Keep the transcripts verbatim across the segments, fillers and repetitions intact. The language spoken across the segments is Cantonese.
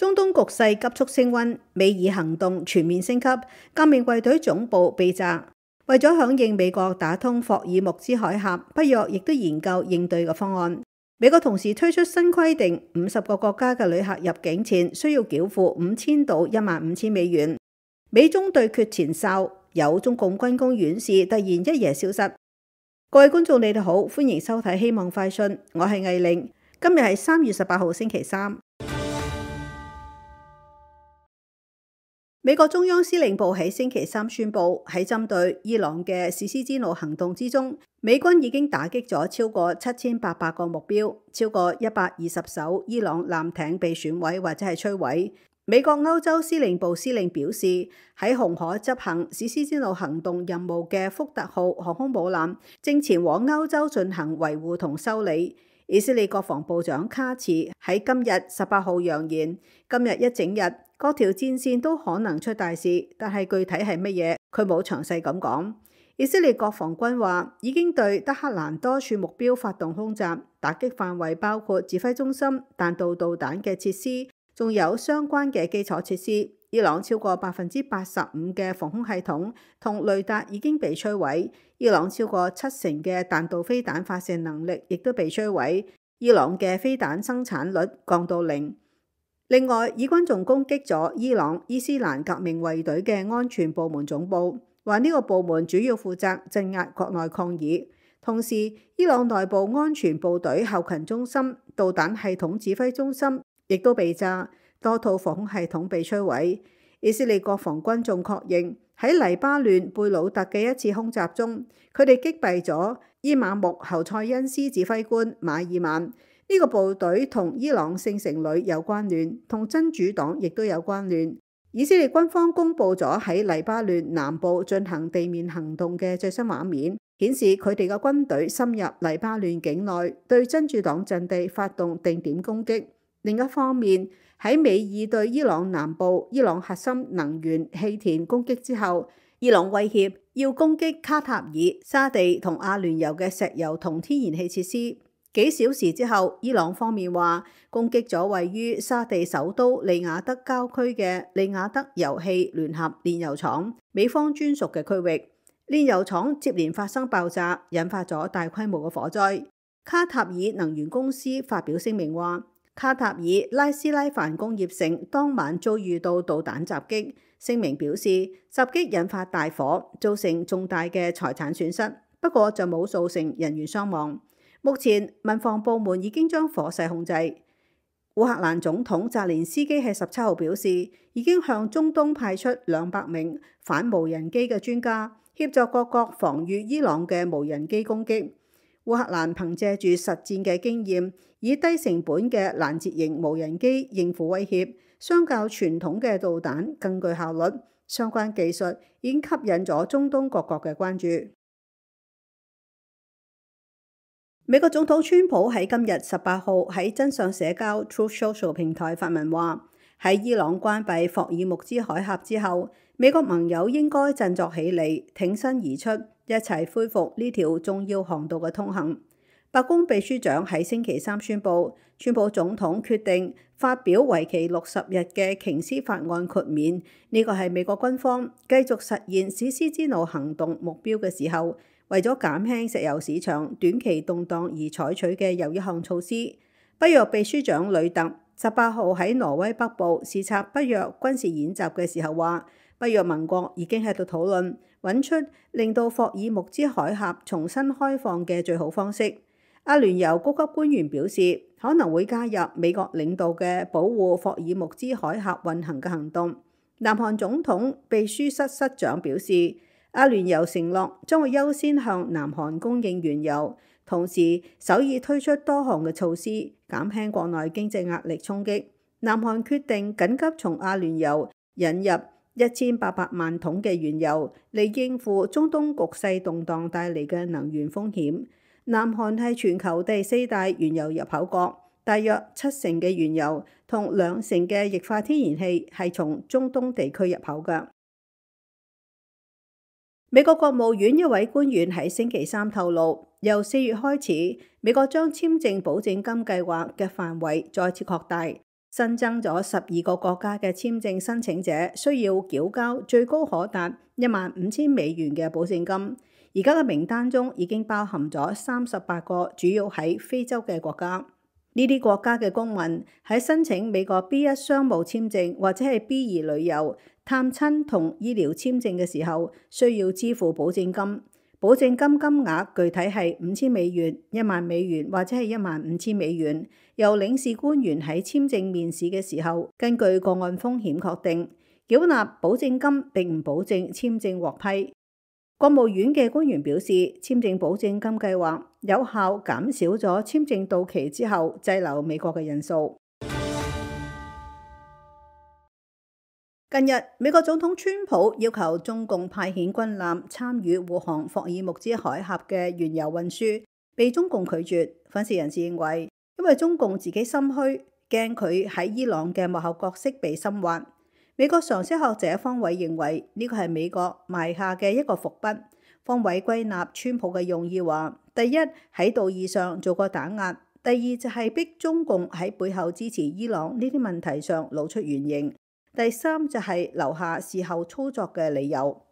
中東局勢急速升溫，美以行動全面升級，革命衛隊總部被炸。為咗響應美國打通霍爾木茲海峽，北約亦都研究應對嘅方案。美國同時推出新規定，五十個國家嘅旅客入境前需要繳付五千到一萬五千美元。美中對決前哨，有中共軍工院士突然一夜消失。各位觀眾，你哋好，歡迎收睇《希望快訊》，我係藝玲。今日係三月十八號星期三。美國中央司令部喺星期三宣布，喺針對伊朗嘅史詩之怒行動之中，美軍已經打擊咗超過七千八百個目標，超過一百二十艘伊朗艦艇被損毀或者係摧毀。美國歐洲司令部司令表示，喺紅海執行史詩之怒行動任務嘅福特號航空母艦正前往歐洲進行維護同修理。以色列國防部長卡茨喺今日十八號揚言，今日一整日各條戰線都可能出大事，但係具體係乜嘢，佢冇詳細咁講。以色列國防軍話已經對德黑蘭多處目標發動空襲，打擊範圍包括指揮中心、彈道導彈嘅設施，仲有相關嘅基礎設施。伊朗超過百分之八十五嘅防空系統同雷達已經被摧毀，伊朗超過七成嘅彈道飛彈發射能力亦都被摧毀，伊朗嘅飛彈生產率降到零。另外，以軍仲攻擊咗伊朗伊斯蘭革命衛隊嘅安全部門總部，話呢個部門主要負責鎮壓國內抗議。同時，伊朗內部安全部隊後勤中心、導彈系統指揮中心亦都被炸。多套防空系統被摧毀。以色列國防軍仲確認喺黎巴嫩貝魯特嘅一次空襲中，佢哋擊斃咗伊瑪目侯賽因斯指揮官馬爾曼。呢、這個部隊同伊朗聖城旅有關聯，同真主黨亦都有關聯。以色列軍方公布咗喺黎巴嫩南部進行地面行動嘅最新畫面，顯示佢哋嘅軍隊深入黎巴嫩境內，對真主黨陣地發動定點攻擊。另一方面，喺美以對伊朗南部伊朗核心能源氣田攻擊之後，伊朗威脅要攻擊卡塔爾、沙地同阿聯酋嘅石油同天然氣設施。幾小時之後，伊朗方面話攻擊咗位於沙地首都利雅得郊區嘅利雅得油氣聯合煉油廠，美方專屬嘅區域。煉油廠接連發生爆炸，引發咗大規模嘅火災。卡塔爾能源公司發表聲明話，卡塔爾拉斯拉凡工業城當晚遭遇到導彈襲擊，聲明表示襲擊引發大火，造成重大嘅財產損失，不過就冇造成人員傷亡。目前民防部門已經將火勢控制。烏克蘭總統澤連斯基喺十七號表示，已經向中東派出兩百名反無人機嘅專家，協助各國防禦伊朗嘅無人機攻擊。烏克蘭憑借住實戰嘅經驗，以低成本嘅攔截型無人機應付威脅，相較傳統嘅導彈更具效率。相關技術已經吸引咗中東各國嘅關注。美國總統川普喺今日十八號喺真相社交 Truth Social 平台發文話，喺伊朗關閉霍爾木茲海峽之後，美國盟友應該振作起嚟，挺身而出，一齊恢復呢條重要航道嘅通行。白宮秘書長喺星期三宣布，川普總統決定發表為期六十日嘅瓊斯法案豁免，呢個係美國軍方繼續實現史詩之怒行動目標嘅時候，為咗減輕石油市場短期動盪而採取嘅又一項措施。北約秘書長呂特十八號喺挪威北部視察北約軍事演習嘅時候話，北約盟國已經喺度討論揾出令到霍爾木茲海峽重新開放嘅最好方式。阿聯酋高級官員表示，可能會加入美國領導嘅保護霍爾木茲海峽運行嘅行動。南韓總統秘書室室長表示，阿聯酋承諾將會優先向南韓供應原油，同時首爾推出多項嘅措施，減輕國內經濟壓力衝擊。南韓決定緊急從阿聯酋引入一千八百萬桶嘅原油，嚟應付中東局勢動盪帶嚟嘅能源風險。南韓係全球第四大原油入口國，大約七成嘅原油同兩成嘅液化天然氣係從中東地區入口㗎。美國國務院一位官員喺星期三透露，由四月開始，美國將簽證保證金計劃嘅範圍再次擴大，新增咗十二個國家嘅簽證申請者需要繳交最高可達一萬五千美元嘅保證金。而家嘅名單中已經包含咗三十八個主要喺非洲嘅國家。呢啲國家嘅公民喺申請美國 B 一 商務簽證或者係 B 二旅遊、探親同醫療簽證嘅時候，需要支付保證金。保證金金額具體係五千美元、一萬美元或者係一萬五千美元，由領事官員喺簽證面試嘅時候根據個案風險確定。繳納保證金並唔保證簽證獲批。國務院嘅官員表示，簽證保證金計劃有效減少咗簽證到期之後滯留美國嘅人數。近日，美國總統川普要求中共派遣軍艦參與護航霍爾木茲海峽嘅原油運輸，被中共拒絕。分析人士認為，因為中共自己心虛，驚佢喺伊朗嘅幕後角色被深挖。美國常識學者方偉認為，呢個係美國埋下嘅一個伏筆。方偉歸納川普嘅用意話：第一，喺道義上做個打壓；第二就係逼中共喺背後支持伊朗呢啲問題上露出原形。第三就係留下事後操作嘅理由。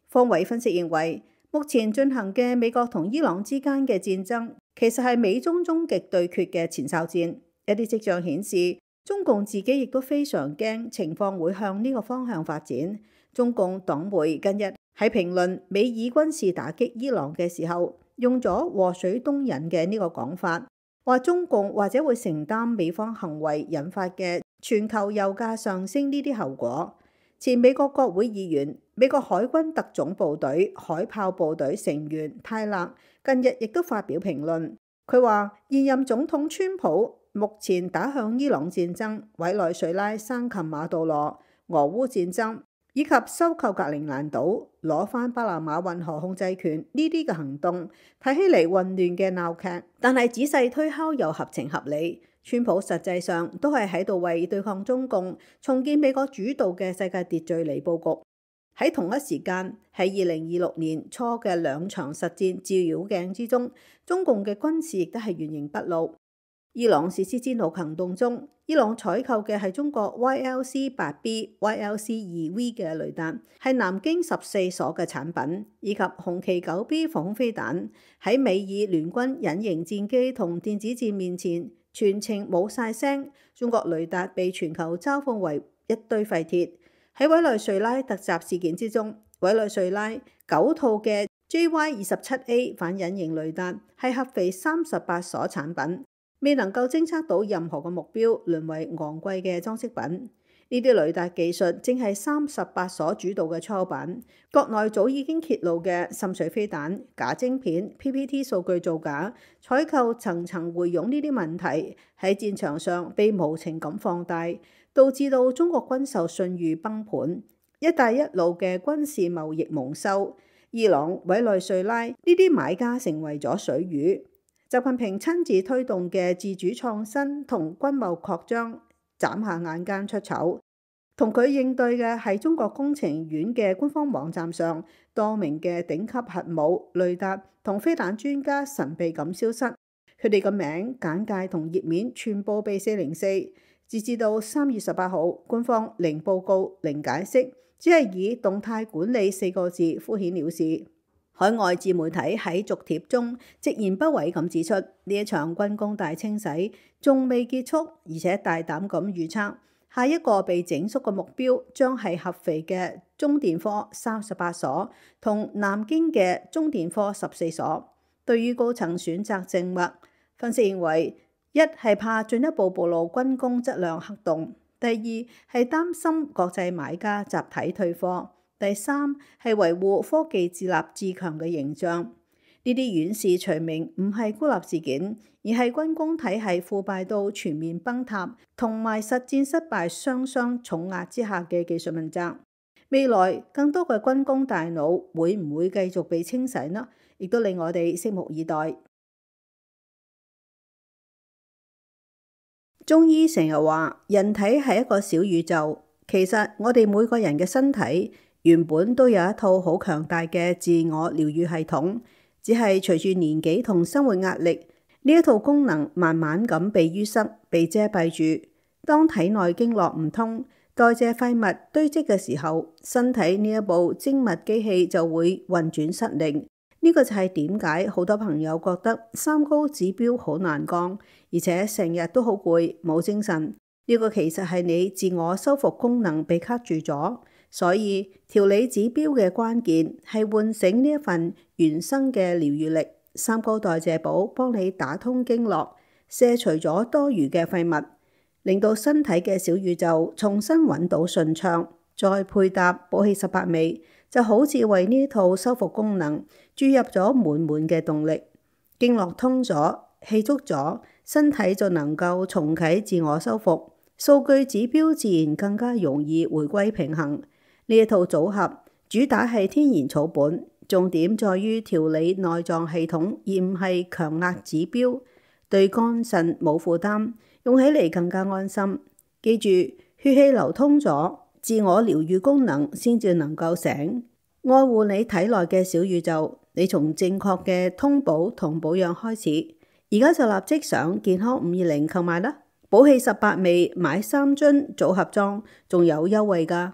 方偉分析認為，目前進行嘅美國同伊朗之間嘅戰爭，其實係美中終極對決嘅前哨戰。一啲跡象顯示，中共自己亦都非常驚情況會向呢個方向發展。中共黨媒近日喺評論美以軍事打擊伊朗嘅時候，用咗禍水東引嘅呢個講法，話中共或者會承擔美方行為引發嘅全球油價上升呢啲後果。前美國國會議員、美國海軍特種部隊海豹部隊成員泰勒近日亦都發表評論，佢話現任總統川普目前打向伊朗戰爭、委內瑞拉生擒馬杜羅、俄烏戰爭以及收購格陵蘭島、攞返巴拿馬運河控制權呢啲嘅行動，睇起嚟混亂嘅鬧劇，但係仔細推敲又合情合理。川普實際上都係喺度為對抗中共、重建美國主導嘅世界秩序嚟佈局。喺同一時間，喺二零二六年初嘅兩場實戰照妖鏡之中，中共嘅軍事亦都係原形畢露。伊朗實施戰狼行動中，伊朗採購嘅係中國 Y L C 八 B、Y L C 二 V 嘅雷達，係南京十四所嘅產品，以及紅旗九 B 防空飛彈。喺美伊聯軍隱形戰機同電子戰面前，全程冇晒聲，中國雷達被全球嘲諷為一堆廢鐵。喺委內瑞拉突襲事件之中，委內瑞拉九套嘅 J Y 二十七 A 反隱形雷達係合肥三十八所產品，未能夠偵測到任何嘅目標，淪為昂貴嘅裝飾品。呢啲雷達技術正係三十八所主導嘅初版，國內早已經揭露嘅滲水飛彈、假晶片、P P T 數據造假、採購層層回傭呢啲問題喺戰場上被無情咁放大，導致到中國軍售信譽崩盤，一帶一路嘅軍事貿易蒙羞，伊朗、委內瑞拉呢啲買家成為咗水魚。習近平親自推動嘅自主創新同軍貿擴張，眨下眼間出醜。同佢應對嘅係中國工程院嘅官方網站上多名嘅頂級核武、雷達同飛彈專家神秘咁消失，佢哋嘅名、簡介同頁面全部被四零四。截至到三月十八號，官方零報告、零解釋，只係以動態管理四個字敷衍了事。海外自媒體喺續帖中直言不諱咁指出，呢一場軍工大清洗仲未結束，而且大膽咁預測，下一個被整肅嘅目標將係合肥嘅中電科三十八所同南京嘅中電科十四所。對於高層選擇靜默，分析認為，一係怕進一步暴露軍工質量黑洞，第二係擔心國際買家集體退貨，第三係維護科技自立自強嘅形象。呢啲遠視除名唔係孤立事件，而係軍工體系腐敗到全面崩塌，同埋實戰失敗雙雙重壓之下嘅技術問責。未來更多嘅軍工大腦會唔會繼續被清洗呢？亦都令我哋拭目以待。中醫成日話人體係一個小宇宙，其實我哋每個人嘅身體原本都有一套好強大嘅自我療癒系統，只係隨住年紀同生活壓力，呢一套功能慢慢咁被淤塞、被遮蔽住。當體內經絡唔通，代謝廢物堆積嘅時候，身體呢一部精密機器就會運轉失靈。呢個就係點解好多朋友覺得三高指標好難降，而且成日都好攰冇精神。呢個其實係你自我修復功能被卡住咗。所以調理指標嘅關鍵係喚醒呢一份原生嘅療愈力。三高代謝寶幫你打通經絡，卸除咗多餘嘅廢物，令到身體嘅小宇宙重新揾到順暢。再配搭補氣十八味，就好似為呢套修復功能注入咗滿滿嘅動力。經絡通咗，氣足咗，身體就能夠重啟自我修復，數據指標自然更加容易回歸平衡。呢一套組合主打係天然草本，重點在於調理內臟系統，而唔係強壓指標，對肝腎冇負擔，用起嚟更加安心。記住，血氣流通咗，自我療愈功能先至能夠醒。愛護你體內嘅小宇宙，你從正確嘅通補同保養開始。而家就立即上健康五二零購買啦！補氣十八味買三樽組合裝，仲有優惠㗎。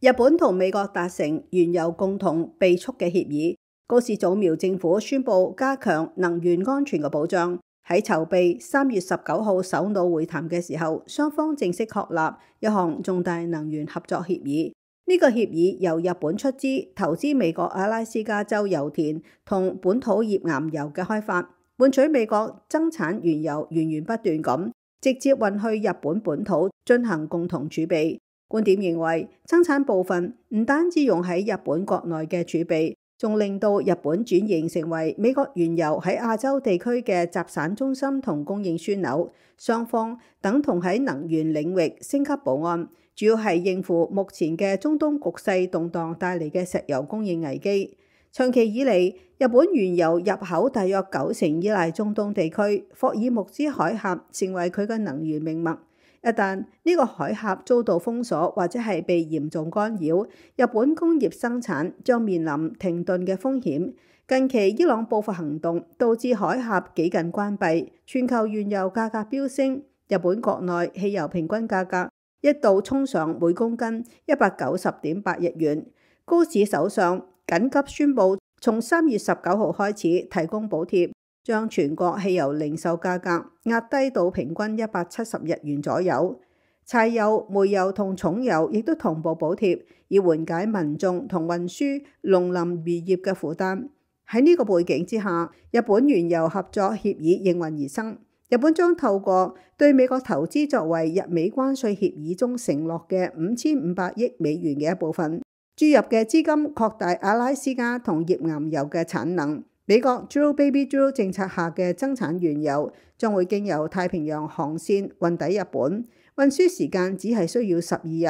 日本同美國達成原油共同備蓄嘅協議，高市早苗政府宣布加強能源安全嘅保障。喺籌備三月十九號首腦會談嘅時候，雙方正式確立一項重大能源合作協議。呢個協議由日本出資投資美國阿拉斯加州油田同本土頁岩油嘅開發，換取美國增產原油源源不斷咁直接運去日本本土進行共同儲備。觀點認為，增產部分唔單止用喺日本國內嘅儲備，仲令到日本轉型成為美國原油喺亞洲地區嘅集散中心同供應樞紐。雙方等同喺能源領域升級保安，主要係應付目前嘅中東局勢動盪帶嚟嘅石油供應危機。長期以嚟，日本原油入口大約九成依賴中東地區，霍爾木茲海峽成為佢嘅能源命脈。一旦呢個海峽遭到封鎖或者係被嚴重干擾，日本工業生產將面臨停頓嘅風險。近期伊朗報復行動導致海峽幾近關閉，全球原油價格飆升，日本國內汽油平均價格一度衝上每公斤一百九十點八日元。高市首相緊急宣布，從三月十九號開始提供補貼，將全國汽油零售價格壓低到平均一百七十日元左右。柴油、煤油同重油亦都同步補貼，以緩解民眾同運輸、農林漁業嘅負擔。喺呢個背景之下，日本原油合作協議應運而生。日本將透過對美國投資作為日美關稅協議中承諾嘅五千五百億美元嘅一部分，注入嘅資金擴大阿拉斯加同頁岩油嘅產能。美國 Drill Baby Drill 政策下嘅增產原油將會經由太平洋航線運抵日本，運輸時間只係需要十二日，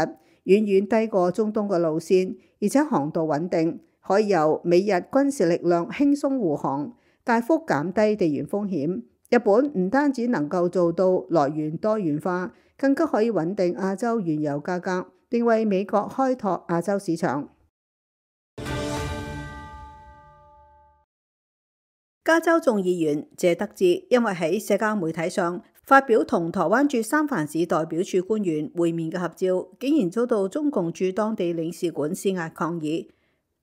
遠遠低過中東嘅路線，而且航道穩定，可以由美日軍事力量輕鬆護航，大幅減低地緣風險。日本唔單止能夠做到來源多元化，更加可以穩定亞洲原油價格，並為美國開拓亞洲市場。加州眾議員謝德志因為喺社交媒體上發表同台灣駐三藩市代表處官員會面嘅合照，竟然遭到中共駐當地領事館施壓抗議。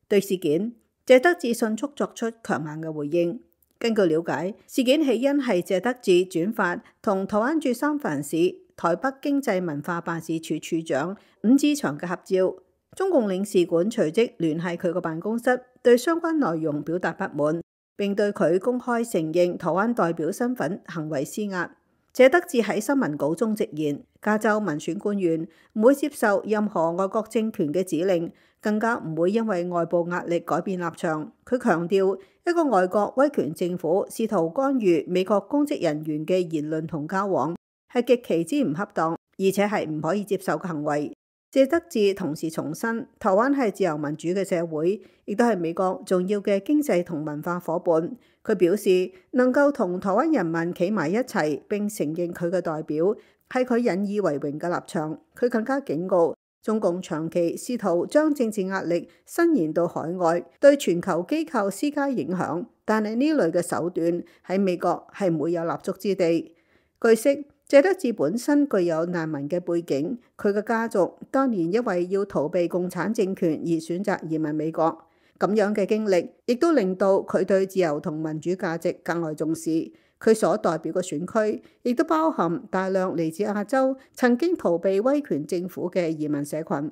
對事件，謝德志迅速作出強硬嘅回應。根據了解，事件起因係謝德志轉發同台灣駐三藩市台北經濟文化辦事處處長伍志祥嘅合照，中共領事館隨即聯繫佢個辦公室，對相關內容表達不滿，並對佢公開承認台灣代表身份行為施壓。謝德志喺新聞稿中直言，加州民選官員唔會接受任何外國政權嘅指令，更加唔會因為外部壓力改變立場。佢強調，一個外國威權政府試圖干預美國公職人員嘅言論同交往，係極其之唔恰當，而且係唔可以接受嘅行為。謝德志同時重申，台灣係自由民主嘅社會，亦都係美國重要嘅經濟同文化夥伴。佢表示，能夠同台灣人民企埋一齊並承認佢嘅代表，係佢引以為榮嘅立場。佢更加警告，中共長期試圖將政治壓力伸延到海外，對全球機構施加影響，但係呢類嘅手段喺美國係唔會有立足之地。據悉，謝德志本身具有難民嘅背景，佢嘅家族當年因為要逃避共產政權而選擇移民美國，咁樣嘅經歷亦都令到佢對自由同民主價值格外重視。佢所代表嘅選區亦都包含大量嚟自亞洲、曾經逃避威權政府嘅移民社群。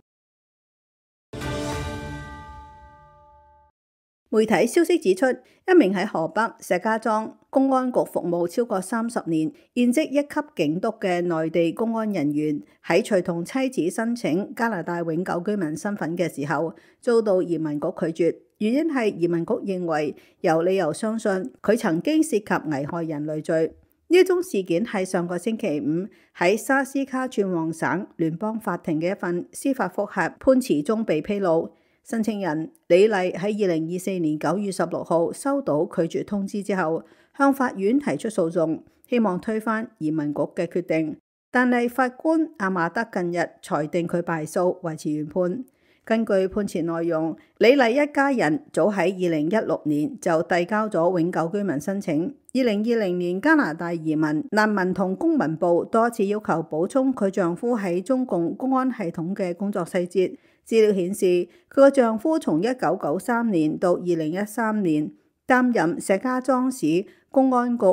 媒體消息指出，一名喺河北石家莊公安局服務超過三十年、現職一級警督嘅內地公安人員，喺隨同妻子申請加拿大永久居民身份嘅時候，遭到移民局拒絕。原因係移民局認為有理由相信佢曾經涉及危害人類罪。呢一宗事件係上個星期五喺沙斯卡川旺省聯邦法庭嘅一份司法覆核判詞中被披露。申請人李麗喺二零二四年九月十六號收到拒絕通知之後，向法院提出訴訟，希望推翻移民局嘅決定。但係法官阿馬德近日裁定佢敗訴，維持原判。根據判詞內容，李麗一家人早喺二零一六年就遞交咗永久居民申請。二零二零年加拿大移民、難民同公民部多次要求補充佢丈夫喺中共公安系統嘅工作細節。資料顯示，佢個丈夫從一九九三年到二零一三年擔任石家莊市公安局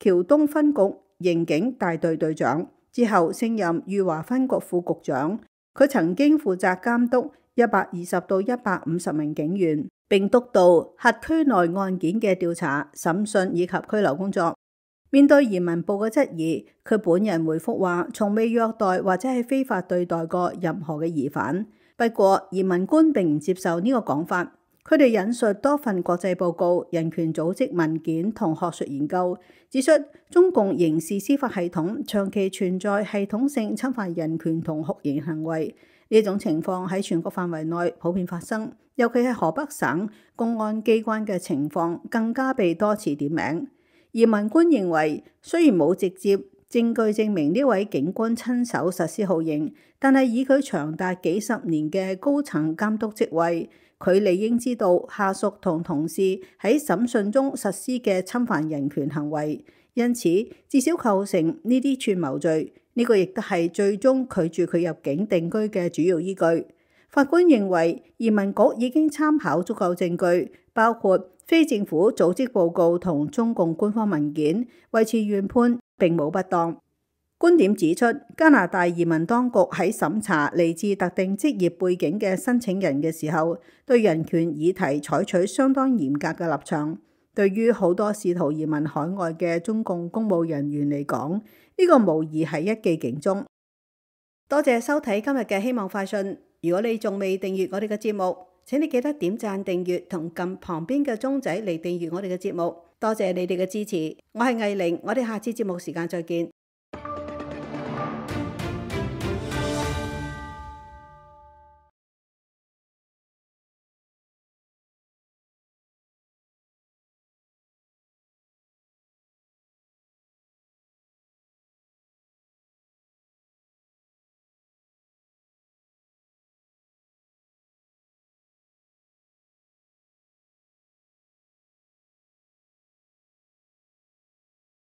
橋東分局刑警大隊隊長，之後升任裕華分局副局長。佢曾經負責監督一百二十到一百五十名警員，並督導轄區內案件嘅調查、審訊以及拘留工作。面對移民部嘅質疑，佢本人回覆話，從未虐待或者係非法對待過任何嘅疑犯。不過，移民官並唔接受呢個講法。佢哋引述多份國際報告、人權組織文件同學術研究，指出中共刑事司法系統長期存在系統性侵犯人權同酷刑行為。呢種情況喺全國範圍內普遍發生，尤其係河北省公安機關嘅情況更加被多次點名。移民官認為，雖然冇直接證據證明呢位警官親手實施酷刑，但係以佢長達幾十年嘅高層監督職位，佢理應知道下屬同同事喺審訊中實施嘅侵犯人權行為，因此至少構成呢啲串謀罪。呢個亦都係最終拒絕佢入境定居嘅主要依據。法官認為移民局已經參考足夠證據，包括非政府組織報告同中共官方文件，維持原判並冇不當。觀點指出，加拿大移民當局喺審查嚟自特定職業背景嘅申請人嘅時候，對人權議題採取相當嚴格嘅立場。對於好多試圖移民海外嘅中共公務人員嚟講，呢個無疑係一記警鐘。多謝收睇今日嘅希望快訊。如果你仲未訂閱我哋嘅節目，請你記得點讚、訂閱同撳旁邊嘅鐘仔嚟訂閱我哋嘅節目。多謝你哋嘅支持。我係藝玲，我哋下次節目時間再見。